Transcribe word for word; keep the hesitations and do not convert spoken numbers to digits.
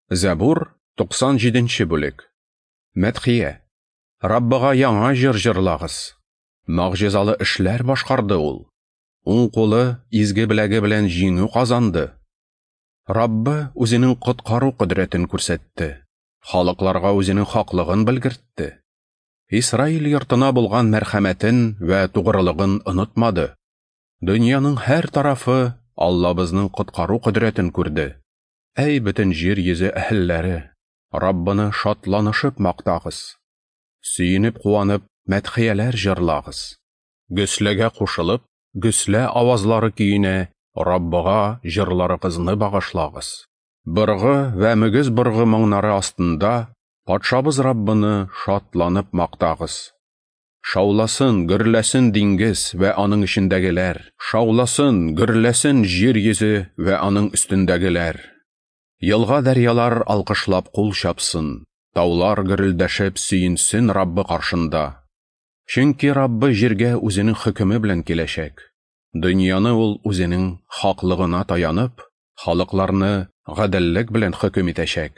Зәбур, туксан җиденче бүлек. Мәдхия. Раббыга яңа җыр җырлагыз. Могҗизалы эшләр башкарды ул. Уң кулы изге беләге белән җиңү казанды. Раббы үзенең коткару кодрәтен күрсәтте. Халыкларга үзенең хаклыгын белгертте. Исраил йортына булган мәрхәмәтен вә тугрылыгын онытмады. Дөньяның һәр тарафы Аллабызның коткару кодрәтен күрде. Әй бөтен җир йөзе әһелләре, Раббыны шатланышып мактагыз. Сөенеп куанып, мәдхияләр җырлагыз. Гөсләгә кушылып, гөслә авазлары көенә Раббыга җырларыгызны багышлагыз. Быргы вә мөгез быргы моңнары астында патшабыз Раббыны шатланып мактагыз. Шауласын, гөрләсен диңгез вә аның эчендәгеләр. Шауласын, гөрләсен җир йөзе вә аның өстендәгеләр. Елга дәрьялар алкышлап кул чапсын, таулар гөрелдәшеп сөенсен Раббы каршында. Чөнки Раббы җиргә үзенең хөкеме белән киләчәк. Дөньяны ул үзенең хаклыгына таянып, халыкларны гаделлек белән хөкем итәчәк.